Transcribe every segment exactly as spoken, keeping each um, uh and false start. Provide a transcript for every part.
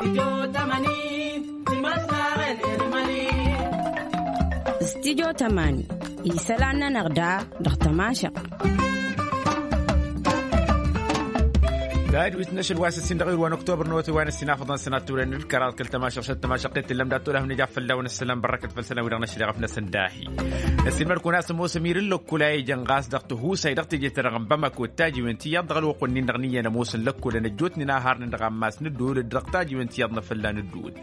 Studyo tămani isălan-nănăɣ da dăɣ-tămašăɣt. Dad-wi t-năšăl wa s-ǝssin dăɣ-iwǝl wa n-oktobăr n-awătay wa n-ǝssin afăḍăn sănat turen n-ǝlkăraḍ kăl-tămašăɣt šăt tămašăɣt i-tǝllăm dat-tolăh n-ija fălla-wen ăssălam bărrăkăt făll-sălan-wi-dăɣ năšăl iɣăf-năsăn dahi. Ăssiilmăd-kăwăn a-s ămoos ămir n-lăkkul a ijăn ɣas dăɣ-tihusay dăɣ-teje-ta-dăɣ n-bamako d-tajiwen tiyyăḍ dăɣ-ălwăqq-nin-dăɣ n-iyyăn ămoosăn lăkkolăn ăjjootnen a harnen dăɣ-ammas n-ǝddul d-dăɣ-tajiwen tiyyăḍ n-afălla n-ǝddul.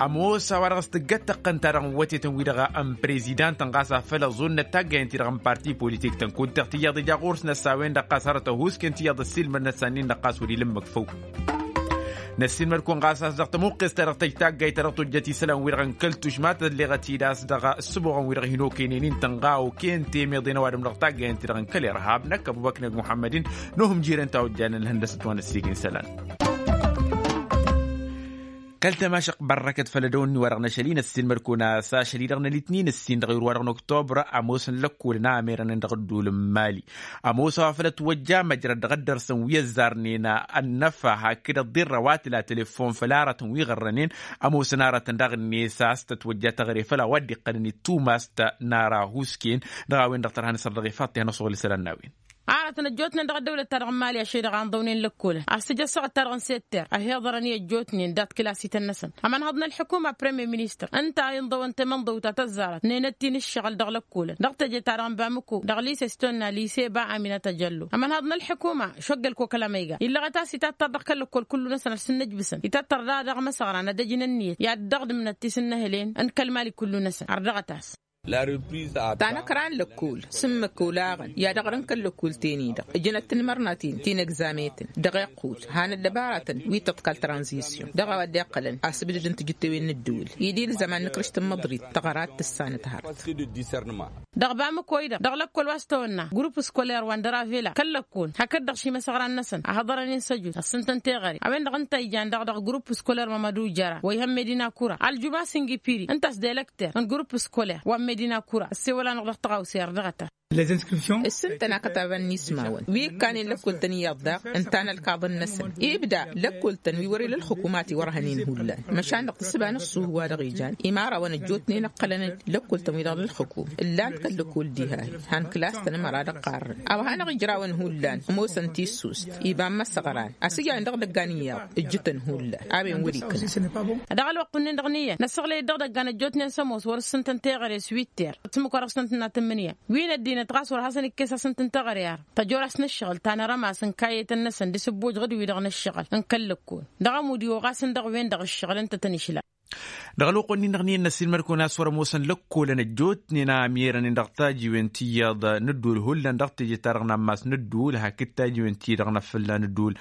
Ămoos a-wa dăɣ-s tǝggăt tăqqăn-ta-dăɣ n-wătetăn-wi-dăɣ n-prezidantăn ɣas afăl ăẓunnăt taggayăn-ti-dăɣ n-parti politik-tăn kud-dăɣ tiyyăḍ ija ɣur-s năsa-wen-dăɣ ɣas hărăt ăhuusken tiyyăḍ ăssiilmăd-năsa-nin-dăɣ ɣas wăr-ila ǝmmǝk făw. Năssiilmăd-kăwăn ɣas a-s dăɣ-tămuqqes-ta-dăɣ tăj taggayt ta dăɣ-tojjăt isălan-wi-dăɣ n-kăl-tušma tălleɣăt-dd a-s dăɣ-ǝssǝboɣăn-wi-dăɣ hin-okăynen-in tănɣa oken temeḍen ăwadǝm dăɣ-taggayăn-ti-dăɣ n-kăl-irhab n-ăkkăbubăknăg muḥămmăd-in n-ohǝmjirăn ta ojjanen ihăndăsăt wa n-ăssiik n-isălan. Kăl-tămašăq bărrăkăt făll-ădăwănni wa dăɣ-năšăl-in ăssiilmăd-kăwăn a-s ašăl-i-dăɣ n-alitnin ǝssin dăɣ-iwǝr wa dăɣ-noktobră ămoosăn lăkkolăn a merănen dăɣ-ădduul n-mali. Ămoos a-wa făl ătwăjja măjrăd dăɣ-ăddărsăn wi ăzzarnen ănnăfa hakd ăḍḍirră wa tǝla telefon făll-aratăn wi ɣărrănen. Ămoosăn aratăn daɣ-net a-s tătwăjja taɣre făll-a-wa dd-iqqălăn i-tumast n-ara husken. Dăɣ-a-wen-dăɣ tărha n-asăr dăɣ-ifaḍ tihăn ăṣuɣǝl isălan n-a-wen. Aratăn ăjjootnen dăɣ-ăddăwlăt-ta-dăɣ n-mali ašăl-i-dăɣ a ǝnḍăwnen lăkkolăn a-s tǝjj ăssaɣăt-ta-dăɣ n-setter ăhiḍărăn i-ăjjootnen dat-kilasităn-năsăn ămănhăḍ n-ălḥukuma premier ministăr ǝnta a inḍăwăn temănḍăwt ta tăzzarăt nenăt-in ǝššăɣǝl dăɣ-lăkkolăn dăɣ-teje-ta-dăɣ n-bamǝko dăɣ-lise s-tonna lise ba aminăt ăjăllo ămănhăḍ n-ălḥukuma šoggăl kokăl amăyga illăɣăt a-s itattar dăɣ-kăl-lăkkol kullu-năsăn ad-sǝnnǝjbǝsăn itattar daɣ dăɣ-imăsăɣran ad-ăj n-ǝnniyăt i-ad-dăɣ-dǝmnăt ti s-ǝnnăhǝlen n-kăl-mali kullu-năsăn ărdăɣăt-as. Tanăkra n-lăkkol s-ǝmmǝk olaɣăn i-ad-ăɣrǝn kăl-lăkkol-ten-i-dăɣ ǝjǝnăt tinmărnaten ti n-egzametăn dăɣ-iqqut han ăddăbaratăn wi tăḍkal tranzisyon dăɣ-a-wa dd-iqqălăn asǝbdǝd n-tijǝttewen n-ǝddǝwǝl-i d-ilzăman n-ikrǝšt n-măḍrit tăɣărat tǝssanăt hărăt. Dăɣ-bamǝko-i-dăɣ dăɣ-lăkkol wa s-tawănna grupp skolăr wa n-dăravela kăl-lăkkol hakd-dăɣ šimăsăɣran-năsăn a hăḍărăn-in săjut ăssǝntăn teɣăre a-wen-dăɣ ǝnta ijan daɣ dăɣ-grupp skolăr mămădu jăra wa ihăn medina kura ăljumas n-gipiri ǝnta a-s d-elăkter n-grupp skolăr wa n-medina kura ăssewăl-anăɣ dăɣ-tăɣawse ărdăɣăt-as. Ǝssǝntăn akătaban n-ismawăn wi ǝkkanen lăkkol-tăn iyyăḍ daɣ ǝnta n-ălkaḍăn-năsăn ibda lăkkol-tăn wi wăr-ila ălxǝkum a tiwărhănen hullan măšan dăɣ-tǝssǝba n-ăṣṣuhu wa dăɣ-ijan imarawăn ăjjootnen ǝqqălăn-dd lăkkol-tăn wi-dăɣ n-ălxǝkum ǝllan-t kăl-lăkkol diha-hi han kǝlas-tăn ămăra dăɣ-qarrăn a-wa hanăɣ-ijrawăn hullan ămoosăn tissust iba n-imăsăɣran a-s ǝjrăn dăɣ-idăggan iyyăḍ ǝjjǝtăn hullan a-wen wăr-ikna. Dăɣ-ălwăqq-nin-dăɣ n-iyyăn năsăɣlăy-dd dăɣ-idăggan ăjjootnen s-ămoos wăr-ǝssǝntăn teɣăre s-witter tǝmmǝk wa dăɣ-s tăn-tǝnna tǝmmǝnǝya wi n-ăddinăt ɣas wăr hasăn-ikkes asǝnt n-teɣăre ar tăjor-as n-ǝššăɣǝl ta n-arămas n-kayet-năsăn d-asǝbboj ɣǝd-wi-dăɣ n-ǝššăɣǝl n-kăl-lăkkol dăɣ-ămud iwăɣ-asăn dăɣ-wen-dăɣ ǝššăɣǝl ǝnta tăn-išla. Dăɣ-ălwăqq-nin-dăɣ n-iyyăn n-ăssiilmăd-kăwăn a-s wăr-ămoosăn lăkkolăn ăjjootnen a mirănen dăɣ-tajiwen tiyyăḍ n-ǝddul hullan dăɣ-teje-ta-dăɣ n-ammas n-ǝddul hakd tajiwen ti-dăɣ n-afălla n-ǝddul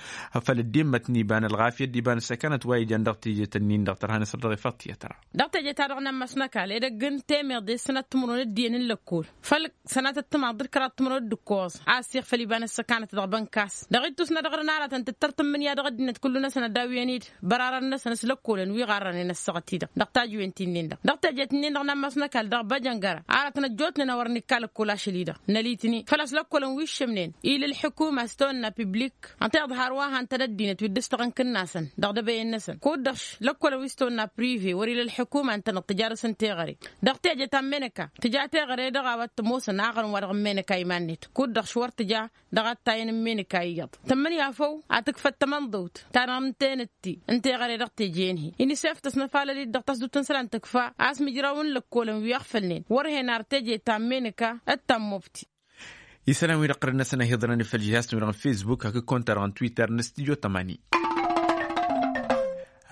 făl dd-immăt n-iba n-ălɣafyăt d-iba n-ăssăkanăt wa ijăn dăɣ-teje-tăn-in-dăɣ tărha n-asăr dăɣ-efăḍ tiyyăt ra. Dăɣ-teje-ta-dăɣ n-ammas n-ăkall edăgg n-temeḍe s-sănat timǝrwen d-iyyăn n-lăkkol făll-sănatăt timaḍ d-kăraḍ timǝrwen d-ǝkkoẓ a ăssiɣfăl iba n-ăssăkanăt dăɣ-bănkas dăɣ-ittus-nădăɣ d-ănaratăn tǝttăr tǝmmǝnǝya dăɣ-ăddinăt kullu-năsăn ad-dawǝyăn-dd bărarăn-năsăn s-lăkkolăn wi ɣarrănen ăssaɣăt-i-dăɣ dăɣ-tajǝwen ti-nin-dăɣ dăɣ-teje-t-nin-dăɣ n-ammas n-ăkall dăɣ-băjăngăra aratăn ăjjootnen a wăr nikka lăkkol ašăl-i-dăɣ n-ălitni făl-a-s lăkkolăn wi ǝššǝmnen ila ălḥukuma s-tawănna piblik ănta iḍhar wa han-tăn ăddinăt wi dd-ǝstăɣăn kǝnnasăn dăɣ-dăbăyen-năsăn kud-dăɣ lăkkolăn wi s-tawănna prive wăr-ila ălḥukuma ǝntăneḍ tǝjarǝs n-teɣăre dăɣ-teje ta n-menăka tǝja teɣăre dăɣ-a-wa t-ămoosăn aɣrǝm wa dăɣ-n menăka iman-net kud-dăɣ š-wăr tǝja dăɣ-attayăn n-menăka iyyăḍ tǝmmǝnǝya făw a tǝkfăt tamănḍăwt ta n-amtenătti n-teɣăre dăɣ-teje-en-hi inisef tăsnăfalăl-dd dăɣ-tasdut n-isălan tǝkfa a-s mǝjraw n-lăkkolăn wi ăɣfălnen wăr hen ar teje ta n-menăka d-ta n-mobti. Isălan-wi-dăɣ qărăn-năsăn ăhiḍărăn făll-žihaz-tăn-wi-dăɣ n-fesbuk hakd konta-dăɣ n-twitter n-studio tămani.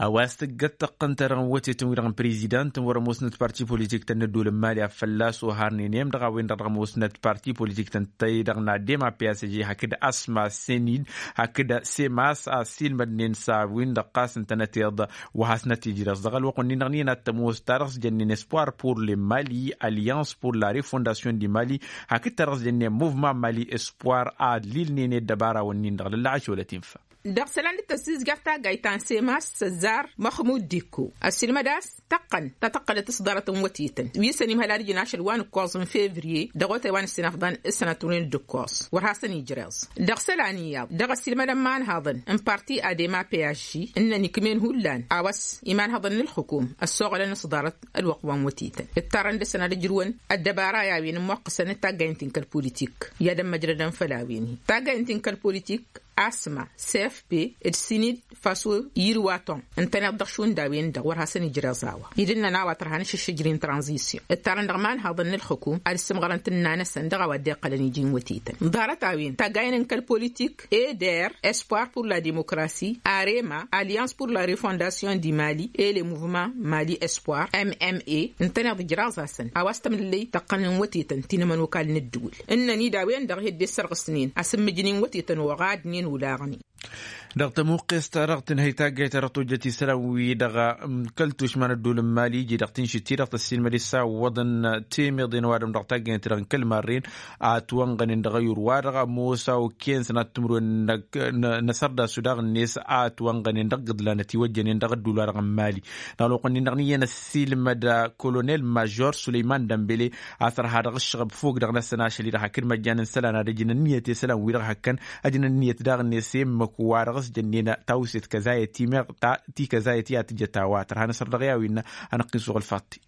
A-wa s-tǝggăt tăqqăn-ta-dăɣ n-wătetăn-wi-dăɣ n-prezidant n-wăr-ămoosnăt parti politik-tăn n-ădduul n-mali a fălla-s oharnen i-em-dăɣ a-wen-dăɣ dăɣ-ămoosnăt parti politik-tăn tăy-dăɣ n-adem a psg hakd asma senid hakd semas a ăssiilmădnen s-a-wen-dăɣ ɣas ǝntănăteḍ wa hasnăt-ijrăẓ dăɣ-ălwăqq-nin-dăɣ n-iyyăn ad-tămoos ta dăɣ-s jănnen espoir pour le mali alliance pour la refondation du mali hakd ta dăɣ-s jănnen mouvement mali espoir ad-lilnen i-ăddăbarawăn-nin-dăɣ lălla ašolăt infa. Dăɣ-isălan d-tăssizjăr taggayt ta n-sema s-săzzar măxmud dikko ăssiilmăd a-s tăqqăn ta tăqqălăt s-ḍarăt n-wătetăn wi săn imhăl ad-ǝjǝn ašăl wa n-ǝkkoẓ n-fevriye dăɣ-otay wa n-ǝssinafḍan s-sănatăwnen d-ǝkkoẓ wăr hasăn-ijreẓ. Dăɣ-isălan iyyăḍ dăɣ-ăssiilmădăn imanhăḍăn n-parti adema payazži ǝnnăn ikm'-en hullan a-wa s-imanhăḍăn n-ǝlxǝkum ăssoɣălăn s-ḍarăt ălwăqq wa n-wătetăn ǝttarrăn dăr-săn ad-ǝjrǝwăn ăddăbara i-a-wen ǝmmoqqăsăn d-taggayǝn ti n-kăl-politik i-ad-ămmăjrădăn făll-a-wen-hi taggayǝn ti n-kăl-politik. Asma sefpe d-sinid faso yirwatăn ǝntăneḍ dăɣ-šund a-wen-dăɣ wăr hasăn-ijreẓ a-wa idǝnnăn a-wa tărha n-ašǝššǝjri n-tranzisyon ǝttarăn dăɣ-imanhăḍăn n-ǝlxǝkum ad-ǝssǝmɣărăn tǝnna-năsăn dăɣ-a-wa dd-iqqălăn iji n-wătetăn ḍarăt-a-wen taggayăn n-kăl-politik eder espoir pour la demokrasi arema alliance pour la refondasyon di mali et le muvement mali espoir mma ǝntăneḍ ijraẓ-asăn a-wa s-tămlǝllăy tăqqăn n-wătetăn ti n-ămănokal n-ǝddǝwǝl ǝnnăn-dd a-wen-dăɣ hedde ăssărɣǝsnen asǝmmǝjǝn-in wătetăn oɣadnen olaɣnen. Dăɣ-tămuqqes-ta-dăɣ tǝnhăy taggayt-ta-dăɣ tojjăt isălan-wi-dăɣ n-kăl-tušma n-ădduul n-mali iji dăɣ-tinšǝt-ti-dăɣ tăssiilmăd-dd s-a ǝwwăḍăn temeḍe n-ăwadǝm dăɣ-taggayt-ta-dăɣ n-kăl marren a ătwănɣănen dăɣ-ayǝr-wa-dăɣ ămoos a okăyăn sănat timǝrwen n-asărdasu daɣ-net a ătwănɣănen dăɣ-igǝḍlan ătiwăjjănen dăɣ-ădduul-wa-dăɣ n-mali. Dăɣ-ălwăqq-ǝnnin-dăɣ n-iyyăn ăssiilmăd kolonel major sulăyman dămbele a tărha dăɣ-ǝššăɣăb fog dăɣ-năsăn ašăl-i-dăɣ hakd măjjan n-isălan ad-ǝjǝn ǝnniyăt i-isălan-wi-dăɣ hakkăn ăjǝn ǝnniyăt daɣ-net i-ǝmmǝk wa dăɣ-s jănnen tawset kăzayăt ti-meɣ ta ti kăzayăt i-ad-tǝjăt a-wa tărha n-asăr dăɣ-i a-wi innă. Anăqqin suɣǝl faḍt-i.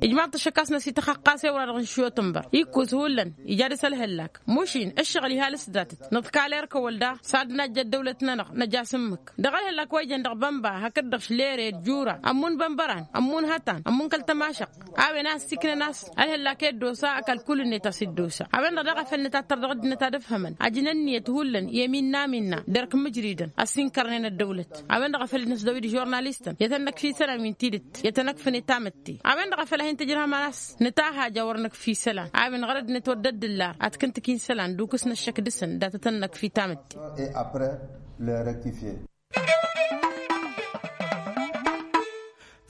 Ijmaḍ-t ăššăk a-s năsităxăqqas i-wăr-dăɣ n-išyotănbăr ikkǝs hullan ija dăr-s ălhăllak. Mušin ǝššăɣǝl ihal s-datăt nǝḍkal erk ăwwăl daɣ s-ad-najjăt dăwlăt-nănăɣ năj'-as ǝmmǝk dăɣ-ălhăllak wa ijăn dăɣ-bănba hakd-dăɣ šlere d-jura ămmun bănbăran ămmun hătan ămmun kăl-tămašăɣt. A-wen a ăssiiknăn a-s ălhăllak i-dd-osa ăkall kull-net a-s dd-osa a-wen-dăɣ daɣ a făl nǝtattăr dăɣ-ăddinăt ad-ǝfhămăn ajǝn ǝnniyăt hullan i-ăminna ăminna d-erk mǝjridăn ăssinkărnen ăddăwlăt. A-wen-dăɣ a făl năsdăw-dd žurnalistăn i-tăn-năkf isălan wi n-tidǝt i-tăn-ăkfǝn i-tamǝtte. A-wen-dăɣ a făl a hin-tǝjrăhăm ad-năsnǝta haja wăr năkf isălan a-wen ɣărăd-net wăr dd-ǝllar ad-t-kǝntǝk isălan d-ukǝs n-ăššăk dăr-săn dat-tăn-năkf i-tamǝtte.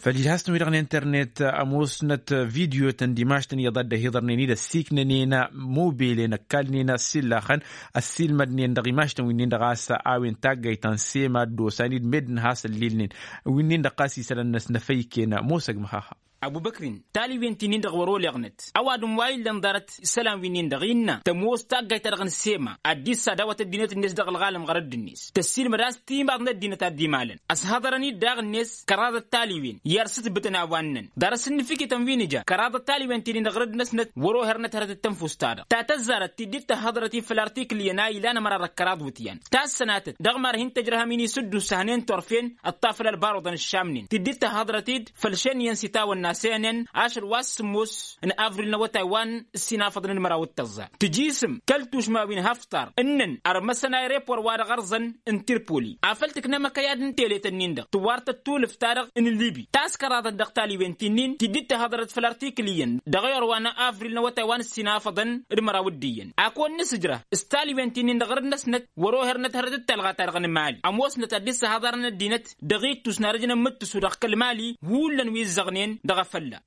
Făll-ijhaztăn-wi-dăɣ n-internet ămoosnăt video-tăn d-imaš-tăn iyyăḍ a dd-ăhiḍărnen-dd ăssiiknănen mobelen ăkkalnen ăssillaxăn. Ăssiilmădnen dăɣ-imaš-tăn wi-nin-dăɣ a-s a-wen taggayt ta n-sema dd-osan-dd meddǝn has-ăllilnen wi-nin-dăɣ ɣas isălan-năsnăfăyken ămoosăg măxaxa. Ăbubăkrin taliwen ti-nin-dăɣ wăr-oleɣnăt ăwadǝm wa illăn ḍarăt isălan wi-nin-dăɣ innă tămoos taggayt-ta-dăɣ n-sema ad-dd-issadawăt ăddinăt-net dăɣ-ălɣalăm ɣărădd-net tăssiilmăd a-s timaḍ n-ăddinăt ad-dd-imalăn. Ăshăḍărăn-dd daɣ-net kăraḍăt taliwen i-ad-sǝtbǝtăn a-wa ǝnnăn ḍarăt s-ǝnnǝfikităn wi n-ija kăraḍăt taliwen ti-nin-dăɣ ɣărădd-năsnăt wăr-ohărnăt hărătăt tănfust-ta-dăɣ ta tăzzarăt ti dd-tăhhăḍrăt-dd făll-artiklǝyăn a ilan ămăra dăɣ-kăraḍ iwǝtyan tassănatăt dăɣ-mad-hin-tăjrăhăm-in isǝddusăhnen turfen ăṭṭafǝl ălbaruḍăn ǝššamnen ti dd-tăhhăḍrăt-dd făll-šeniyăn s-itawănna s-enăn ašăl wa s-sǝmmos n-avril n-awătay wa n-ǝssin afăḍăn d-măraw d-tăẓẓa tǝjisǝm kăl-tušma wi n-haftar ǝnnăn ărmăsăn aerepor wa dăɣ-ărẓăn n-tirpoli. Afăl tǝknăm ăkăyad n-teletăn-nin-dăɣ tǝwwartăt tulǝft-ta-dăɣ n-libi taskăraḍăt dăɣ-taliwen ti-nin ti dd-tăhhăḍrăt făll-artiklǝyăn dăɣ-ayor wa n-avril n-awătay wa n-ǝssin afăḍăn d-măraw d-iyyăn. Ak wăr nǝsǝjrăh s-taliwen ti-nin-dăɣ ɣărăd-năsnăt wăr-ohărnăt hărăt d-talɣa-ta-dăɣ n-mali ămoosnăt ad-dd-săhaḍarăn ăddinăt dăɣ-ittus n-ad-ăj n-ămmǝttǝsu dăɣ-kăl-mali hullan wi ǝzzăɣnen dăɣ-efălla.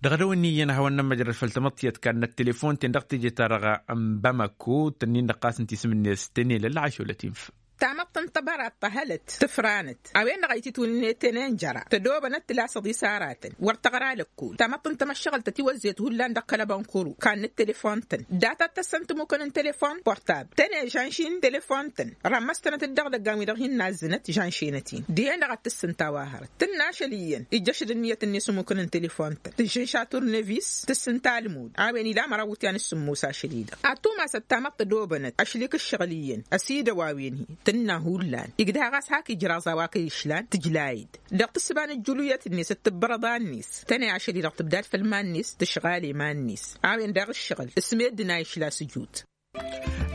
Dăɣ-edăw ǝnniyăn ad-hawăn-nămmăjrăd făll-tamăḍt tiyyăt kannăt telefon-ten dăɣ-teje-ta-dăɣ n-bamako tănnin-dăɣ ɣas ǝnta isǝm-net tenelăl ašăl ătinf. Tamăḍt n-tăbărat tăhălăt tǝfranăt a-wen-dăɣ a ititwǝnnet tenenjăra tădobănăt tǝlasăḍ isaratăn wăr tăɣra lăkkol tamăḍt n-tamăššăɣǝlt ătiwăzzet hullan dăɣ-kăl-abănkuru kannăt telefon-tăn data t-tăssăn tămukăn n-telefon portab tăne žănšin telefon-tăn rămmăstănăt-dd dăɣ-idăggan wi-dăɣ hin-nazzǝnăt žănšenăt-in dihen-dăɣ ad-tǝssǝnta wa hărăt tǝnna ašăl iyyăn ijjăšăd ǝnniyăt-net ămukăn n-telefon-tăn tǝžžǝnša turnevis tǝssǝnta almud a-wen ila măraw iwǝtyan s-sǝmmos ašăl-i-dăɣ ad-tumasăt tamăḍt tădobănăt ašli-k ǝššăɣǝl iyyăn ăsidăw a-wen-hi tǝnna hullan igdăha ɣas hak ijraẓ a-wa kăy-išlan tǝjlay-dd dăɣ-tǝssǝba n-ǝjjǝluyăt-net d-tǝbbărăḍa-net tăne ašăl-i-dăɣ tǝbdad făll-iman-net tǝšɣal i-iman-net. A-wen daɣ ǝššăɣǝl s-meddǝn a išla s-ǝjut.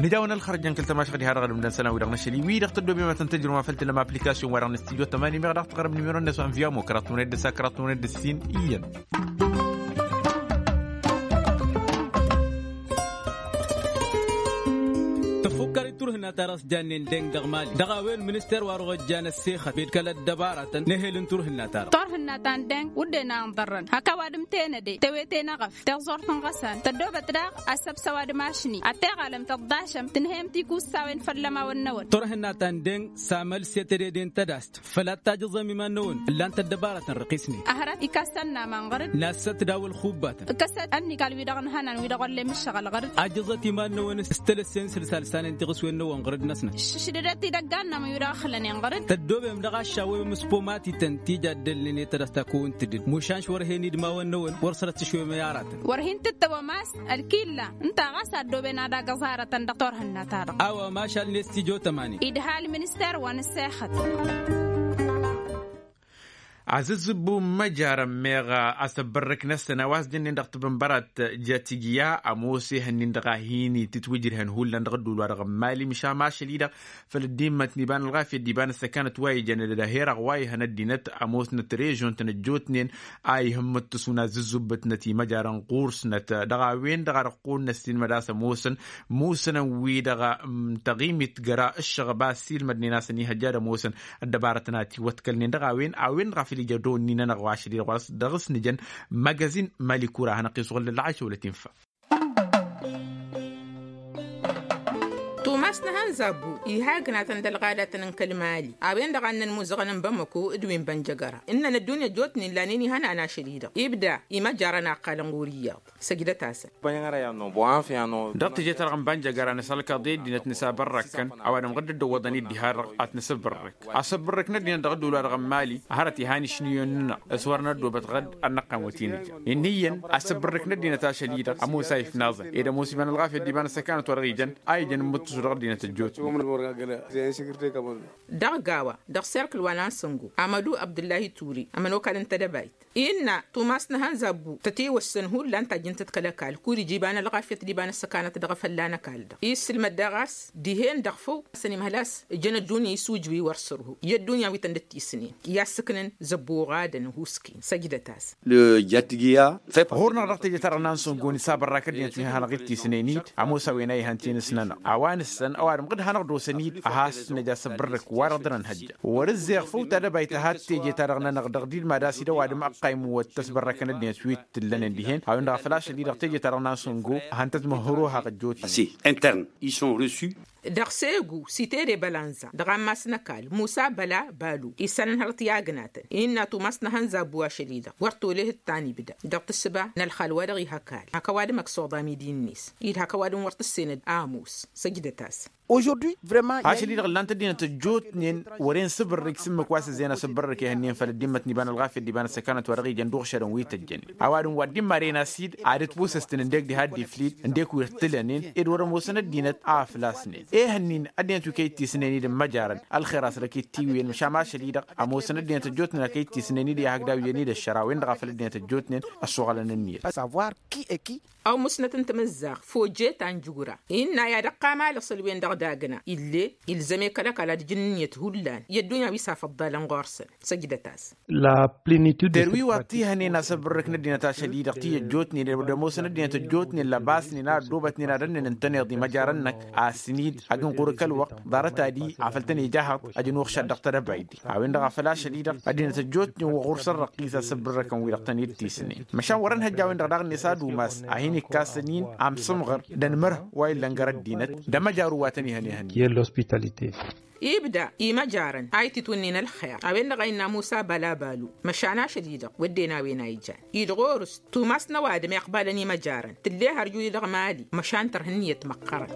Nǝja-wăn ălxărăjăn kăl-tamašăɣ diha-dăɣ ălǝmdăn isălan-wi-dăɣ n-ašăl-i wi-dăɣ tăddoobem ad-tăn-tăjrǝwăm a făl tǝllăm application-wa-dăɣ n-studio tămani meɣ daɣ tăɣrăm nimero-net wa n-viamo kăraḍ tămăned d-ăssa kăraḍ tămăned d-ǝssin iyyăn. Tăfukkăr-dd turhǝnna-ta-dăɣ s-jannen deng dăɣ-mali dăɣ-a-wen minister wa dăɣ-ojjan ăssexăt fed kăl-ăddăbaratăn n-ehel n-turhǝnna-ta-dăɣ. Turhǝnna ta n-deng wǝdden a ǝnḍărrăn hak ăwadǝm tenăde tewete n-eɣăf tiẓẓurt n-iɣăsan tăddoobăt daɣ asăbs ăwadǝm ašni ad-teɣalăm tăḍḍašăm tǝnhăyăm tikussawen făll-ămawăn-năwăn. Turhǝnna ta n-deng s-amălset ededen tădast făl ad-tajǝẓăm iman-năwăn ǝllan-t ăddăbarătăn răqisnen. Hărăt ikassan n-aman ɣăr-dd nassăt daw-ălxubbatăn ǝkkăsăt ănnikal-wi-dăɣ ǝnhănan wi-dăɣ wăllen ǝššăɣǝl ɣăr-dd. Ajǝẓăt iman-năwăn s-tălăssen sălsalsanen tiɣǝswen-năwăn ɣăr-dd-năsnăt. Šǝšdădăt idăggan n-amăn wi-dăɣ ăxlănen ɣăr-dd. Tăddoobem dăɣ-aššawem s-pomatităn tija ăddălnen i-tădăsta kăwăn-tǝdǝd mušan šwărhen idmawăn-năwăn wăr sărăt tǝšwem i-aratăn. Wăr hin-tǝttăwăm a-s ălkilla ǝnta ɣas a ăddooben ad-agǝẓ arătăn dăɣ-turhǝnna-ta-dăɣ. A-wa mašal n-estijo tămanin idha ălminister wa n-ăssexăt. Azǝzzǝbbu n-imăjarăn meɣ asăbbărrǝk-năsăn a-wa s-jănnen dăɣ-tibǝnbărat jătigya ămoos ehăn-in-dăɣ a hin-itǝtwǝjrǝhăn hullan dăɣ-ădduul-wa-dăɣ n-imali măšan ašăl-i-dăɣ făll-ăddimmăt n-iba n-ălɣafyăt d-iba n-ăssăkanăt wa ijăn d-ăherăɣ wa ihăn ăddinăt ămoosnăt režion-tăn ăjjootnen a ihǝmmǝttǝsu n-azǝzzǝbbǝtnăt imăjarăn ɣur-snăt. Dăɣ-a-wen-dăɣ a dăɣ-kăwăn-năssiilmăd a-s ămoosăn musǝnăn-wi-dăɣ tăɣimit jăra ǝššăɣăb a ăssiilmădnen a-s ăniihăjja d-ămoosăn ăddăbarătăn a tiwătkălnen dăɣ-a-wen a-wen-dăɣ a făl ija dăɣ-wănnin-anăɣ wa ašăl-i-dăɣ wa s-dăɣ-s nǝjăn. Magazin mali kura a hanăɣ-t-isɣǝl d-ălɣaysa wăla tinfa. Tumas n-ehăn zabbu iha ǝgnatăn d-ălɣadatăn n-kăl-mali a-wen-dăɣ a ǝnnăn imuzăɣăn n-bamăko d-wi n-bănjăgăra ǝnnăn ăddunya ăjjootnen lanen ihănan ašăl-i-dăɣ ibda imăjarăn a ăqqalăn ɣur-iyyăḍ. Săjdăt-asăn. Dăɣ-teje-ta-dăɣ n-bănjăgăra nǝsălkăḍ i-ăddinăt nǝsabărrăkkăn ăwadǝm ɣǝdd-dd-ăwwăḍăn-dd diha-dăɣ ad-t-nǝsǝbbărrǝk asǝbbărrǝk n-ăddinăt dăɣ-ădduul-wa-dăɣ n-mali. Hărăt ihan išniyon-nănăɣ s-wăr năddoobăt ɣǝdd ad-năqqan wăt-in-ǝjăn. Inn'-iyyăn asǝbbărrǝk n-ăddinăt ašăl-i-dăɣ ămoos a ifnaẓăn ed ămoos iba n-ălɣafyăt d-iba n-ăssăkanăt wa dăɣ-ijăn a ijăn n-imǝttǝsu dăɣ-ăddinăt ăjjootnen. Dăɣ-gawa dăɣ-serkǝl wa n-ansăngo amădu abdullahi ture ămănokal n-tedăbayt innă tumas n-ehăn zabbu tătewăssăn hullan tajjǝn-tăt kăl-ăkall kud-ija iba n-ălɣafyăt d-iba n-ăssăkanăt dăɣ-efălla n-ăkall-dăɣ. Issǝlmăd daɣ a-s dihen dăɣ-făw a-s ănimhăl a-s ǝjăn ăjjun i-isujwi wăr sărhu i-ăddunya wi tăn-dd-tisnen i-assǝknăn zăbbu oɣadăn ăhuusken săjdăt-as. Ɣur-năɣ dăɣ-teje-ta-dăɣ n-ansăngon isabărrak ăddinăt wi hanăɣ-dd-tisnen-dd ămoos a-wen a ihăn tinǝs-nănăɣ a-wa nǝssăn ăwadǝm ɣǝd hanăɣ-dd-osăn-dd a has-năj asǝbbărrǝk wa-dăɣ dăr-ănhăjja. Wăr-ǝzzeɣ făw tadăbayt a had-teje-ta-dăɣ-nănăɣ dăɣ-dd-ilmad a-s dd-ăwadǝm ăqqayǝm wăr t-ăsbărrăkăn ăddinăt wi t-ǝllănen dihen a-wen-dăɣ a făl ašăl-i-dăɣ teje-ta-dăɣ n-ansăngo. Hăn-tăt-măhhăr ohăɣ ăjjootnen. Intern isson resu. Dăɣ-segu sitede bălanza dăɣ-ammas n-ăkall musa băla balu isălan hărăt i-agnatăn innă tumas n-ehăn zabbu ašăl-i-dăɣ wăr tolehăt ta n-ibda dăɣ-tǝssǝba n-ălxal wa dăɣ-iha ăkall hak ăwadǝm ăksuḍa midi-net-i-dd hak ăwadǝm wăr tǝssenăd ămoos. Săjdăt-asăn. Ašăl-i-dăɣ ǝllan-t ăddinăt ăjjootnen wăren sǝbǝrrǝk s-ǝmmǝk wa s-ǝzzeyăn asǝbbărrǝk ehănnen făll-ăddimmăt n-iba n-ălɣafyăt d-iba n-ăssăkanăt wa dăɣ-ijăn d-uɣšădăn wi tăjjănen ăwadǝm wa dd-immaren a-s-dd ad-ǝtwǝsǝstǝn ǝndek diha dd-iflid ǝndek wi ăttǝlănen ed wăr-ămoosăn ăddinăt a ăflasnen. Ehănnin ăddinăt wi kăy-dd-tisnen-dd n-imăjarăn ălxer a-s dăɣ-k-dd-tiwǝyăn măšan ašăl-i-dăɣ ămoosăn ăddinăt ăjjootnen a kăy-dd-tisnen-dd i-ad-hakd a wǝyăn-dd ăššărawen-dăɣ a făl ăddinăt ăjjootnen ăssoɣălăn ǝnniyăt. Savoir qui est qui. Ăwmǝsnăt n-tamǝzzaɣt fojet ta n-jugura innă i-ad-ăqqam alăɣ săl-wen-dăɣ d-agna ill'-e ilzăm-e kăl-ăkall ad-ǝjǝn ǝnniyăt hullan i-ăddunya wi s-afăḍḍalăn ɣur-săn. Săjdăt-asăn. La plinitud de săr-wi wa t-ihănen asǝbbărrǝk n-ăddinăt ašăl-i-dăɣ ti-ăjjootnen ed wăr dd-ămoosăn ăddinăt ăjjootnen lăbasnen a ăddoobătnen ad-ănnen ǝntăneḍ imăjarăn-năk a ăssin-dd ag ǝnɣur kăl-wăqq. Ḍarăt-ad-i a făl tăn-ija ahăḍ ăj ănuɣšad dăɣ-tedăbayt-i. A-wen-dăɣ a făl ašăl-i-dăɣ ăddinăt ăjjootnen wa ɣur-săn răqqis asǝbbărrăkăn-wi-dăɣ tăn-dd-tisnen. Măšan wăr-ănhăjj a-wen-dăɣ daɣ-net ad-umas a hin-ikkas ănin amsǝmɣăr d-ănmărh wa illăn gar-ăddinăt d-amăjaru wa tăn-ihăn ihăn. Ibda imăjarăn a ititwǝnnin ălxer a-wen-dăɣ a innă musa băla balu măšan ašăl-i-dăɣ wădden a-wen a ijan-dd ɣur-s tumas n-ăwadǝm iqbalăn imăjarăn tǝlle hărju-i-dăɣ mali măšan tărha ǝnniyăt măqqărăn.